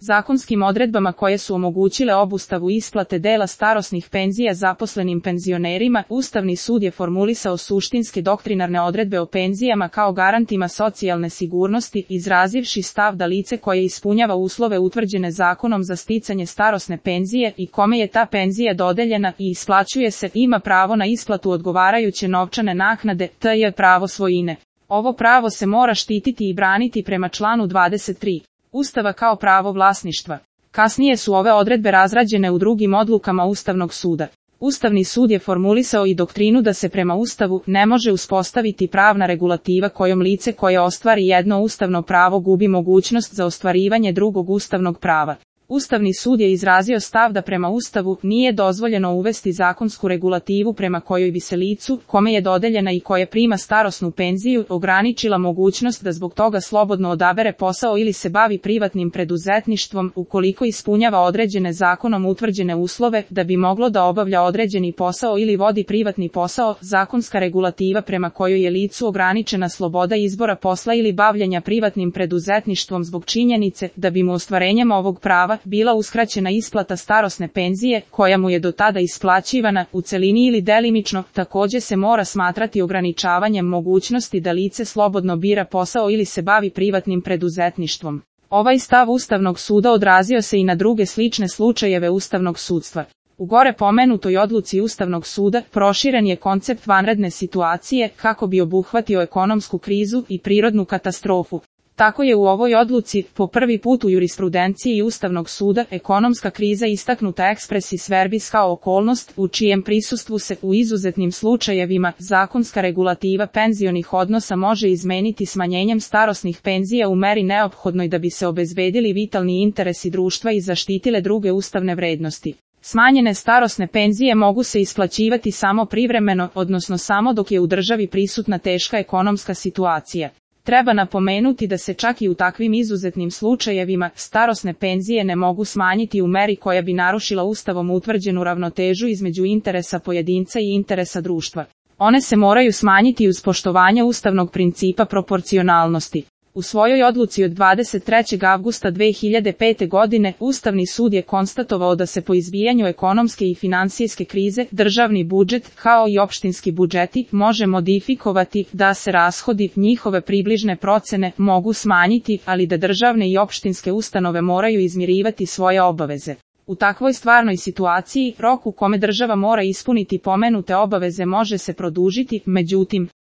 Zakonskim odredbama koje su omogućile obustavu isplate dela starosnih penzija zaposlenim penzionerima, Ustavni sud je formulisao suštinske doktrinarne odredbe o penzijama kao garantima socijalne sigurnosti, izrazivši stav da lice koje ispunjava uslove utvrđene zakonom za sticanje starosne penzije i kome je ta penzija dodeljena i isplaćuje se, ima pravo na isplatu odgovarajuće novčane naknade, tj. pravo svojine. Ovo pravo se mora štititi i braniti prema članu 23. Ustava kao pravo vlasništva. Kasnije su ove odredbe razrađene u drugim odlukama Ustavnog suda. Ustavni sud je formulisao i doktrinu da se prema Ustavu ne može uspostaviti pravna regulativa kojom lice koje ostvari jedno ustavno pravo gubi mogućnost za ostvarivanje drugog ustavnog prava. Ustavni sud je izrazio stav da prema Ustavu nije dozvoljeno uvesti zakonsku regulativu prema kojoj bi se licu, kome je dodeljena i koje prima starosnu penziju, ograničila mogućnost da zbog toga slobodno odabere posao ili se bavi privatnim preduzetništvom, ukoliko ispunjava određene zakonom utvrđene uslove da bi moglo da obavlja određeni posao ili vodi privatni posao. Zakonska regulativa prema kojoj je licu ograničena sloboda izbora posla ili bavljenja privatnim preduzetništvom zbog činjenice da bi mu ostvarenjem ovog prava bila uskraćena isplata starosne penzije, koja mu je do tada isplaćivana, u celini ili delimično, takođe se mora smatrati ograničavanjem mogućnosti da lice slobodno bira posao ili se bavi privatnim preduzetništvom. Ovaj stav Ustavnog suda odrazio se i na druge slične slučajeve ustavnog sudstva. U gore pomenutoj odluci Ustavnog suda proširen je koncept vanredne situacije kako bi obuhvatio ekonomsku krizu i prirodnu katastrofu. Tako je u ovoj odluci, po prvi put u jurisprudenciji Ustavnog suda, ekonomska kriza istaknuta expressis verbis kao okolnost, u čijem prisustvu se, u izuzetnim slučajevima, zakonska regulativa penzionih odnosa može izmeniti smanjenjem starosnih penzija u meri neophodnoj da bi se obezbedili vitalni interesi društva i zaštitile druge ustavne vrednosti. Smanjene starosne penzije mogu se isplaćivati samo privremeno, odnosno samo dok je u državi prisutna teška ekonomska situacija. Treba napomenuti da se čak i u takvim izuzetnim slučajevima starosne penzije ne mogu smanjiti u meri koja bi narušila Ustavom utvrđenu ravnotežu između interesa pojedinca i interesa društva. One se moraju smanjiti uz poštovanje ustavnog principa proporcionalnosti. U svojoj odluci od 23. avgusta 2005. godine Ustavni sud je konstatovao da se po izbijanju ekonomske i finansijske krize državni budžet, kao i opštinski budžeti, može modifikovati, da se rashodi, njihove približne procene, mogu smanjiti, ali da državne i opštinske ustanove moraju izmirivati svoje obaveze. U takvoj stvarnoj situaciji, rok u kome država mora ispuniti pomenute obaveze može se produžiti, međutim,